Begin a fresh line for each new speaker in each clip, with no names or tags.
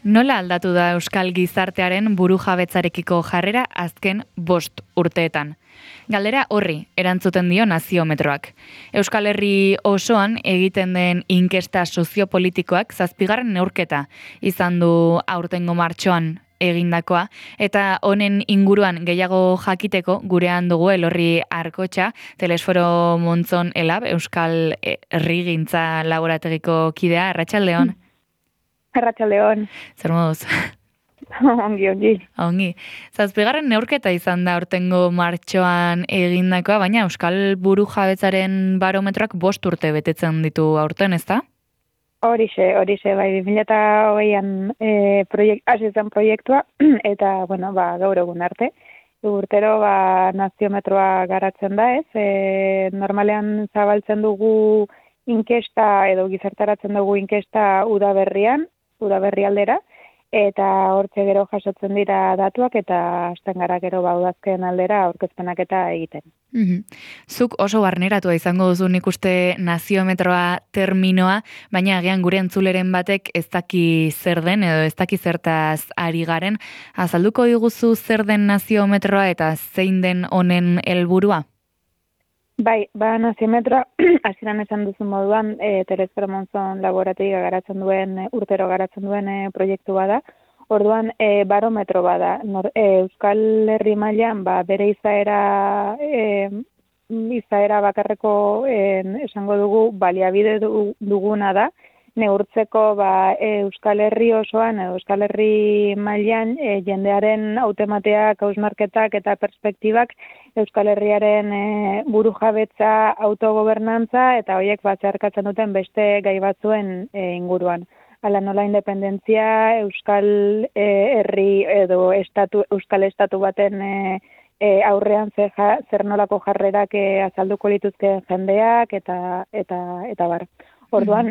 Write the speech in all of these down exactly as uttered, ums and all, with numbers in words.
Nola aldatu da euskal gizartearen burujabetzarekiko jarrera azken bost urteetan? Galdera horri erantzuten dio naziometroak. Euskal Herri osoan egiten den inkesta soziopolitikoak zazpigarren neurketa izan du aurtengo martxoan egindakoa, eta honen inguruan gehiago jakiteko gurean dugu Elorri Arkotxa, Telesforo Montzon Elab, Euskal Herrigintza Laborategiko kidea. Arratsaldeon.
Arratsaldeon.
Zer moduz?
Ongi, ongi.
Ongi. Zazpigarren neurketa izan da aurtengo martxoan egindakoa, baina Euskal Burujabetzaren barometroak bost urte betetzen ditu aurten, ezta?
Horixe, horixe, bai, bi mila hogeian e, proiekt, hasi zen proiektua, eta, bueno, ba, gaur egun arte. Urtero, ba, naziometroa garatzen da, ez? E, normalean zabaltzen dugu inkesta, edo gizartaratzen dugu inkesta udaberrian, udaberri aldera, eta hortxe gero jasotzen dira datuak, eta hasten gara gero ba, udazken aldera aurkezpenak eta egiten.
Mm-hmm. Zuk oso barneratua izango duzu nik uste naziometroa terminoa, baina agian gure entzuleren batek ez daki zer den edo ez daki zertaz ari garen. Azalduko diguzu zer den naziometroa eta zein den honen helburua?
Bai, ba, naziometroa, hasieran esan duzu moduan, e, Telesforo Montzon Laborategia garatzen duen, urtero garatzen duen e, proiektu bada. Orduan, e, barometro bada. Nor, e, Euskal Herri mailan ba, bere izaera, e, izaera bakarreko e, esango dugu baliabide duguna da, neurtzeko ba, e, Euskal Herri osoan, edo Euskal Herri mailan e, jendearen hautemateak, hausnarketak eta perspektibak Euskal Herriaren e, burujabetza, autogobernantza eta horiek batzarkatzen duten beste gai batzuen e, inguruan. Hala nola independentzia, Euskal e, Herri edo estatu, Euskal Estatu baten e, e, aurrean zer, ja, zer nolako jarrerak e, azalduko lituzken jendeak eta eta eta bar. Orduan,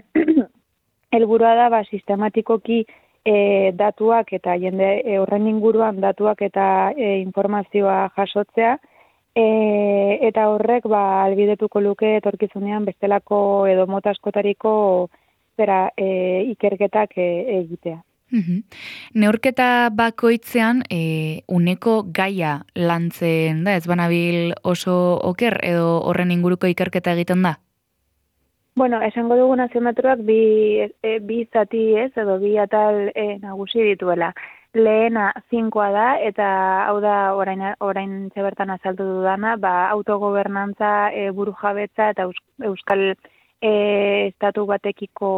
helburua da ba, sistematikoki e, datuak eta jende e, horren inguruan datuak eta e, informazioa jasotzea, e, eta horrek ba, albidetuko luke etorkizunean bestelako edo mota askotariko zera e, ikerketak e, egitea.
Mm-hmm. Neurketa bakoitzean e, uneko gaia lantzen da, ez banabil oso oker edo horren inguruko ikerketa egiten da?
Bueno, esango dugu naziometroak bi, e, bi zati ez, edo bi atal e, nagusi dituela. Lehena zinkoa da, eta hau da orain, orain zebertan azaldu dudana, ba, autogobernantza, e, burujabetza eta Euskal e, estatu batekiko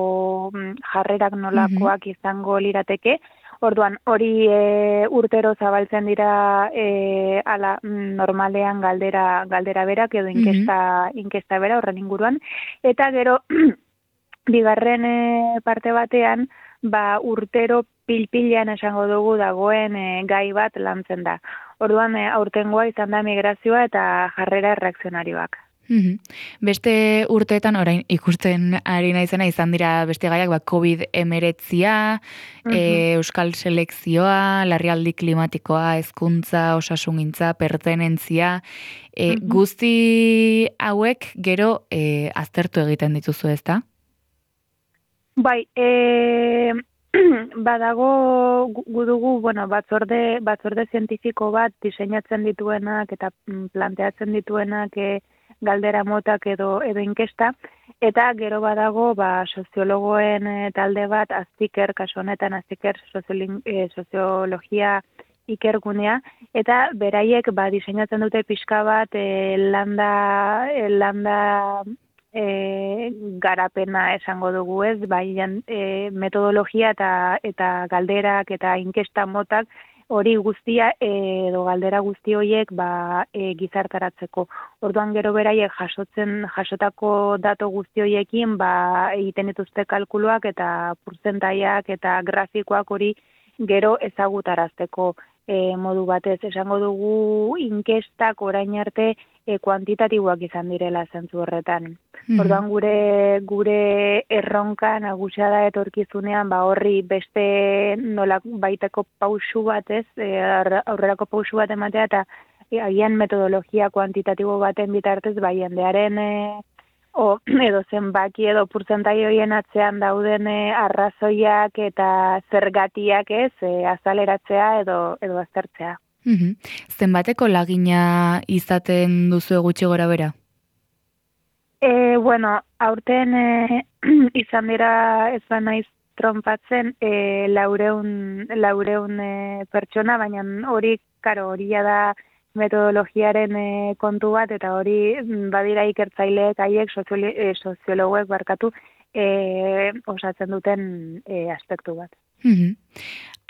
jarrerak nolakoak mm-hmm. izango lirateke. Orduan, hori e, urtero zabaltzen dira e, ala, normalean galdera galdera berak edo inkesta, mm-hmm. inkesta bera horren inguruan. Eta gero, bigarren e, parte batean, ba, urtero pilpilean esango dugu dagoen e, gai bat lantzen da. Orduan, e, aurtengoa izan da migrazioa eta jarrera reakzionarioak.
Mm-hmm. Beste urteetan orain ikusten ari naizena izan dira beste gaiak ba, covid hemeretzia, mm-hmm. e, euskal selekzioa, larrialdi klimatikoa, hezkuntza, osasungintza, pertenentzia, e, mm-hmm. guzti hauek gero e, aztertu egiten dituzu, ezta?
Bai, e, badago gu dugu, bueno, batzorde, batzorde zientifiko bat diseinatzen dituenak eta planteatzen dituenak e, galdera motak edo edo inkesta, eta gero badago ba, soziologoen e, talde bat, aztiker, kasu honetan aztiker e, soziologia ikergunea, eta beraiek ba, diseinatzen dute pixka bat e, landa, e, landa e, garapena esango dugu ez, bai e, metodologia eta, eta galderak eta inkesta motak, hori guztia edo galdera guzti horiek ba, e, gizartaratzeko. Orduan gero beraiek jasotzen jasotako dato guzti horiekin ba, egiten dituzte kalkuluak eta portzentaiak eta grafikoak hori gero ezagutarazteko e, modu batez. Esango dugu inkestak orain arte e, kuantitatiboak izan direla zentzu horretan. Mm-hmm. Orduan gure gure erronka nagusia da etorkizunean ba horri beste nola baiteko pausu batez, e, aurrerako pausu bat ematea eta e, agian metodologia kuantitatibo baten bitartez ba jendearen e, o, edo zenbaki edo portzentai horien atzean dauden e, arrazoiak eta zergatiak ez, e, azaleratzea edo, edo aztertzea.
Mhm. Zenbateko lagina izaten duzu gutxi gora bera?
E, bueno, aurten e, izan dira ez ba naiz trompatzen e, laureun, laureun e, pertsona, baina hori, karo, hori da metodologiaren e, kontu bat, eta hori badira ikertzaileek haiek sozioli- e, soziologoek barkatu e, osatzen duten e, aspektu bat.
Mhm.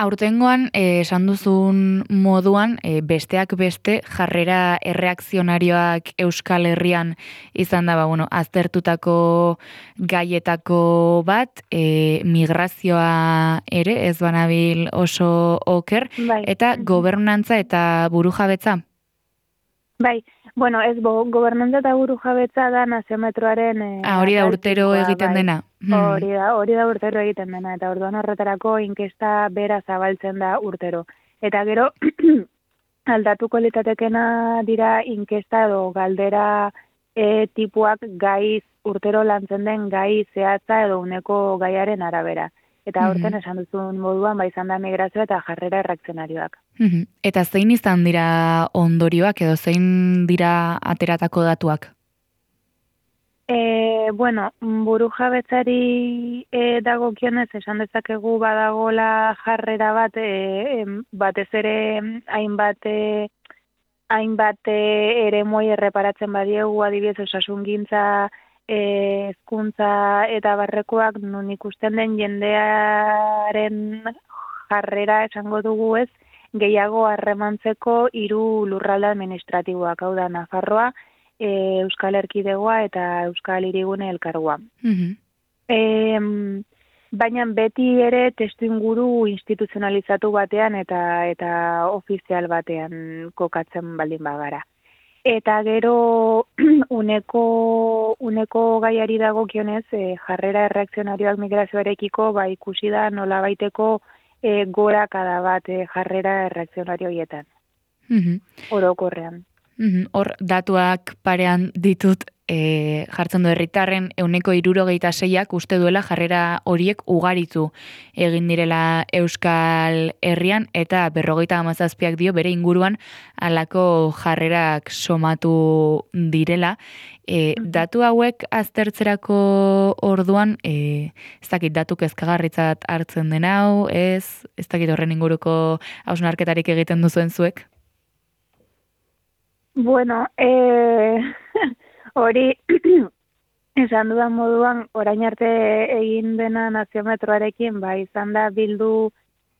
Aurtengoan, eh, esan duzun moduan, eh, besteak beste jarrera erreakzionarioak Euskal Herrian izan da, ba, bueno, aztertutako gaietako bat, eh, migrazioa ere, ez banabil oso oker,
Bai.
eta gobernantza eta burujabetza.
Bai, bueno, ez bo, gobernantza eta burujabetza da naziometroaren e,
Ah, hori da urtero
ataltikoa,
egiten
bai.
dena. Hmm.
Hori da, hori da urtero egiten dena, eta orduan horretarako inkesta bera zabaltzen da urtero. Eta gero, aldatuko litatekena dira inkesta edo galdera e, tipuak gaiz, urtero lantzen den gai zehatza edo uneko gaiaren arabera. Eta aurten esan duzun moduan, ba izan da migrazio eta jarrera erreakzionarioak.
Mhm. Eta zein izan dira ondorioak edo zein dira ateratako datuak?
E, bueno, burujabetzari e, dagokionez esan dezakegu badagola jarrera bat, e, em, batez ere hainbat e, hainbat e, eremoi erreparatzen badiegu, adibidez osasungintza, e, hezkuntza eta barrekoak, nun ikusten den jendearen jarrera esango dugu ez, gehiago harremantzeko hiru lurralde administratiboak, hau da Nafarroa, E, Euskal Erkidegoa eta Euskal Hirigune Elkargoa.
Mhm.
E, baina beti ere testuinguru instituzionalizatu batean eta eta ofizial batean kokatzen baldin bagara. Eta gero uneko uneko gaiari dagokionez, e, jarrera erreakzionarioak migrazioarekiko ba ikusi da nolabaiteko e, gorakada bat e, jarrera erreakzionario hietan.
Mhm.
Orokorrean.
Mhm. Hor, datuak parean ditut e, jartzen du herritarren euneko hirurogeita seiak uste duela jarrera horiek ugaritu egin direla Euskal Herrian, eta berrogeita hamazazpiak dio bere inguruan halako jarrerak somatu direla. E, datu hauek aztertzerako orduan, e, ez dakit datu kezkagarritzat hartzen den hau, ez, ez dakit horren inguruko hausnarketarik egiten duzuen zuek?
Bueno, eh, hori esan dudan moduan, orain arte egin dena naziometroarekin, ba, izan da bildu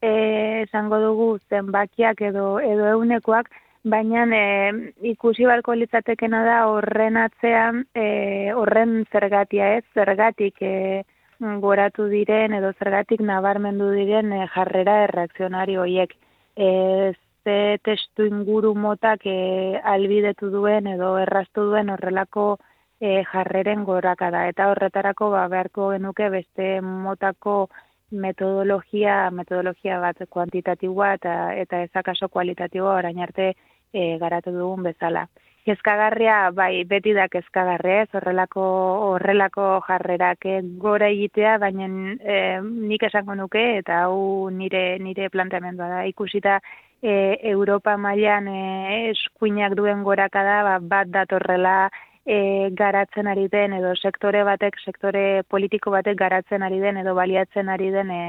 eh, esango dugu zenbakiak edo edo eunekoak, baina eh, ikusi barko litzatekena da horren atzean, eh, horren zergatia ez, zergatik eh, goratu diren edo zergatik nabarmendu diren eh, jarrera erreakzionario horiek. Ez ze testu inguru motak e, albidetu duen edo erraztu duen horrelako e, jarreren gorakada. Eta horretarako ba, beharko genuke beste motako metodologia, metodologia bat kuantitatiboa eta, eta ezakaso kualitatiboa orain arte e, garatu dugun bezala. Kezkagarria, bai, beti da kezkagarria, ez horrelako, horrelako jarrerak gora egitea, baina e, nik esango nuke, eta hau nire, nire planteamendua da, ikusita e, Europa mailan e, eskuinak duen gorakada, ba, bat datorrela e, garatzen ari den, edo sektore batek, sektore politiko batek garatzen ari den, edo baliatzen ari den e,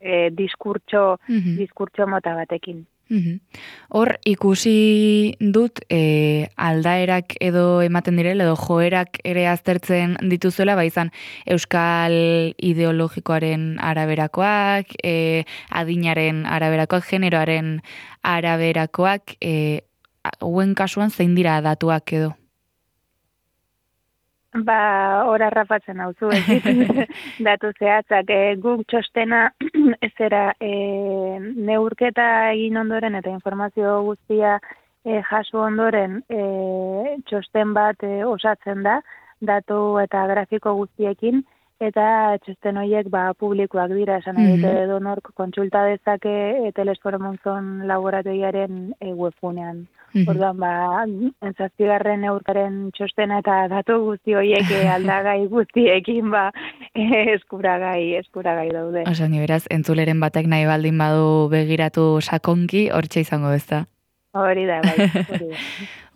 e, diskurtso, mm-hmm. diskurtso mota batekin.
Hor, ikusi dut e, aldaerak edo ematen direla, edo joerak ere aztertzen dituzuela, ba izan euskal ideologikoaren araberakoak, e, adinaren araberakoak, generoaren araberakoak, e, hauen kasuan zein dira datuak edo?
Ba, ora rapatzen hau zu, datu zehatzak, e, guk txostena ezera e, neurketa egin ondoren eta informazio guztia e, jaso ondoren e, txosten bat e, osatzen da, datu eta grafiko guztiekin, eta txosten horiek ba, publikoak dira, esan nahi dute edo nork kontsulta dezake e, Telesforo Monzon laborategiaren e, webgunean. Orduan, ba, zazpigarren neurkaren txostena eta datu guzti horiek e, aldagai guztiekin ba, e, eskuragai, eskuragai daude.
Oso, ni beraz, entzuleren batek nahi baldin badu begiratu sakonki, hortxe izango ez da.
Hori da, bai, hori da.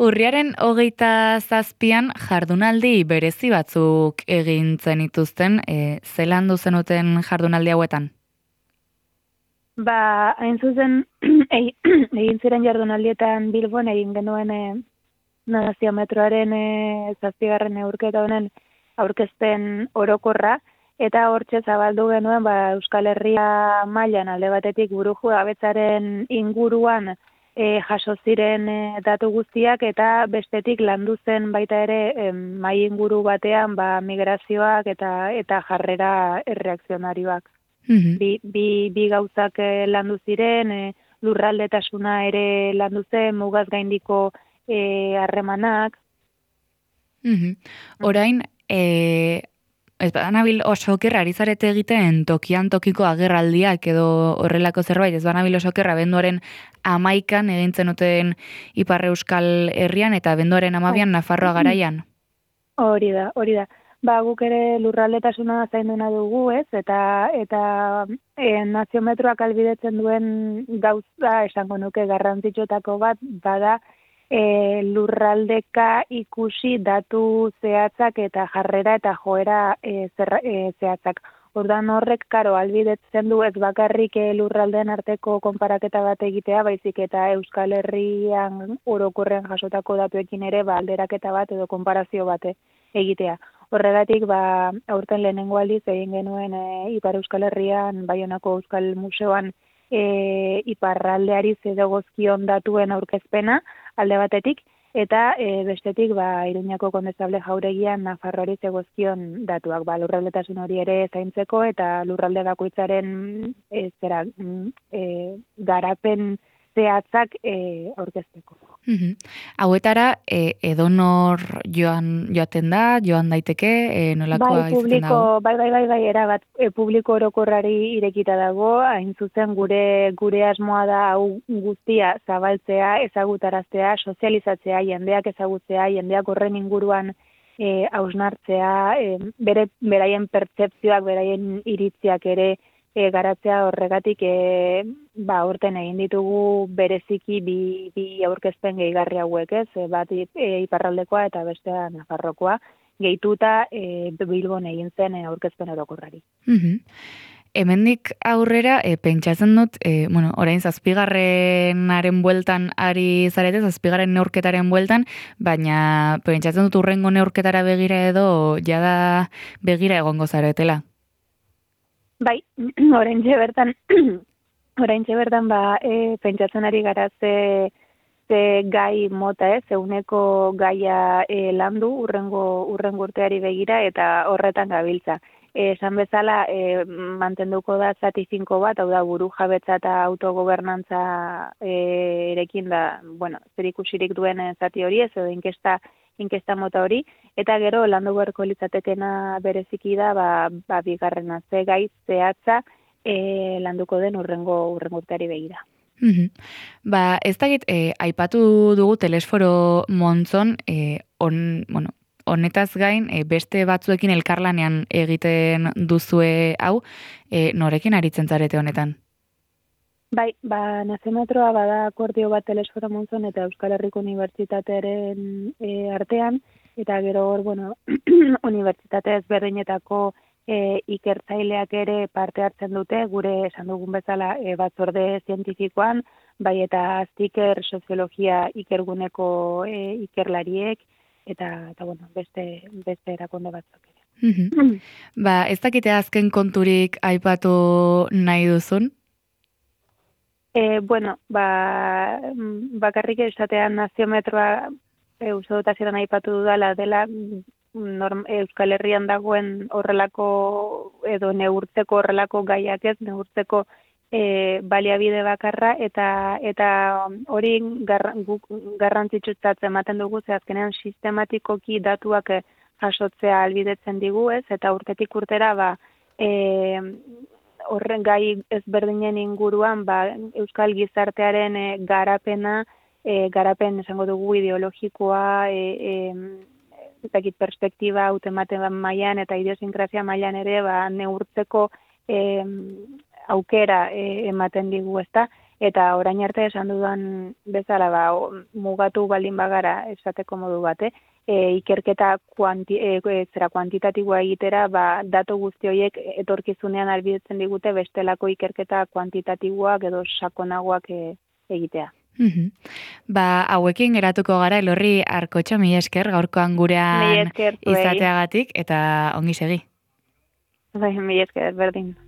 Urriaren hogeita zazpian jardunaldi berezi batzuk egin zenituzten, e, zelan duzenuten jardunaldi hauetan?
Ba, hain zuzen, egin ziren jardunaldietan Bilbon egin genuen e, naziometroaren e, zazpigarren neurketa honen aurkezpen orokorra, eta hortxe zabaldu genuen ba, Euskal Herria mailan alde batetik burujabetzaren inguruan e, jaso ziren e, datu guztiak, eta bestetik landu zen baita ere e, mai inguru batean ba, migrazioak eta eta jarrera erreakzionarioak. Bi, bi, bi gauzak landu ziren, e, lurraldetasuna ere landu zen, mugaz gaindiko harremanak.
E, Orain, e, ez banabil oso okerra ari zarete egiten tokian tokiko agerraldiak edo horrelako zerbait, ez banabil oso okerra benduaren amaikan egintzen duten Ipar Euskal Herrian eta benduaren amabian Nafarroa garaian.
Hori da, hori da. Ba, guk ere lurraldetasuna zainduna dugu, ez? Eta eta e, naziometroak albidetzen duen gauza esango nuke garrantzitsuetako bat bada e, lurraldeka ikusi datu zehatzak eta jarrera eta joera e, zer, e, zehatzak. Ordan horrek karo albidetzen du ez bakarrik e, lurraldeen arteko konparaketa bat egitea, baizik eta Euskal Herrian orokorrean jasotako datuekin ere ba, alderaketa bat edo konparazio bat egitea. Horregatik, ba, aurten lehenengo aldiz egin genuen e, Ipar Euskal Herrian, Baionako Euskal Museoan e, iparraldeari zedogozkion datuen aurkezpena alde batetik, eta e, bestetik, ba, Iruñako Kondestable Jauregian Nafarroari zegozkion datuak, ba, lurraldetasun hori ere zaintzeko eta lurralde bakoitzaren e, zera, e, garapen zehatzak e, aurkezteko.
Uhum. Hauetara, e, edonor joan joaten da, joan daiteke, e, nolakoa
bai, publiko,
izaten dago?
Bai, bai, bai, bai, erabat, e, publiko orokorrari irekita dago, hain zuzen gure gure asmoa da hau guztia zabaltzea, ezagutaraztea, sozializatzea, jendeak ezagutzea, jendeak horren inguruan e, hausnartzea, e, bere, beraien pertzepzioak, beraien iritziak ere E, garatzea horregatik e, ba, urten egin ditugu bereziki bi, bi aurkezpen gehigarri hauek, ez? E, bat e, iparraldekoa eta bestea Nafarrokoa, gehituta e, Bilbon egin zen e, aurkezpen orokorrari.
Uhum. Hemendik aurrera, e, pentsatzen dut, e, bueno, orain zazpigarrenaren bueltan ari zarete, zazpigarren neurketaren bueltan, baina pentsatzen dut urrengo neurketara begira edo jada begira egongo zaretela.
Bai, oraintxe bertan, oraintxe bertan ba, e, pentsatzen ari gara ze, ze gai mota ez, zeuneko gaia e, landu urrengo, urrengo urteari begira eta horretan gabiltza. E, esan bezala, e, mantenduko da zati finko bat, hau da buru jabetza eta autogobernantza e, erekin da, bueno, zer ikusirik duen zati hori ez, edo inkesta inkesta mota hori, eta gero landu beharko litzatekena bereziki da, ba, ba bigarrena ze gai zehatza e, landuko den urrengo urrengo urteari begira.
Uhum. Ba, ez dakit, e, aipatu dugu Telesforo Monzon, e, on, bueno, honetaz gain, e, beste batzuekin elkarlanean egiten duzue hau, e, norekin aritzen zarete honetan?
Bai, ba, naziometroa bada akordio bat Telesforo Monzon eta Euskal Herriko Unibertsitatearen e, artean, eta gero hor, bueno, unibertsitate ezberdinetako e, ikertzaileak ere parte hartzen dute, gure esan dugun bezala e, batzorde zientifikoan, bai eta aztiker soziologia ikerguneko e, ikerlariek, eta, eta bueno, beste, beste erakunde batzuk ere.
Mm-hmm. Ba, ez dakite azken konturik aipatu nahi duzun?
E, bueno, ba, bakarrik esatean naziometroa e, uste dut hasieran aipatu dudala dela norm, Euskal Herrian dagoen horrelako edo neurtzeko horrelako gaiak ez, neurtzeko e, baliabide bakarra eta eta hori garrantzitsutzat ematen dugu ze azkenean sistematikoki datuak jasotzea albidetzen digu, ez? Eta urtetik urtera, ba, e, horren gai ezberdinen inguruan, ba, euskal gizartearen e, garapena, e, garapen esango dugu ideologikoa, e, e, ezakit perspektiba hautematen mailan eta idiosinkrazia mailan ere, ba, neurtzeko e, aukera e, ematen digu, ezta? Eta orain arte esan dudan bezala, ba, mugatu baldin bagara esateko modu bate, e, ikerketa kuanti, e, zera kuantitatiboa egitera, ba, datu guzti horiek etorkizunean albidetzen digute bestelako ikerketa kuantitatiboak edo sakonagoak e, egitea.
Mm-hmm. Ba, hauekin geratuko gara, Elorri Arkotxa, mila esker, gaurkoan gurean izateagatik, eta ongi segi.
Bai, mila esker, berdin.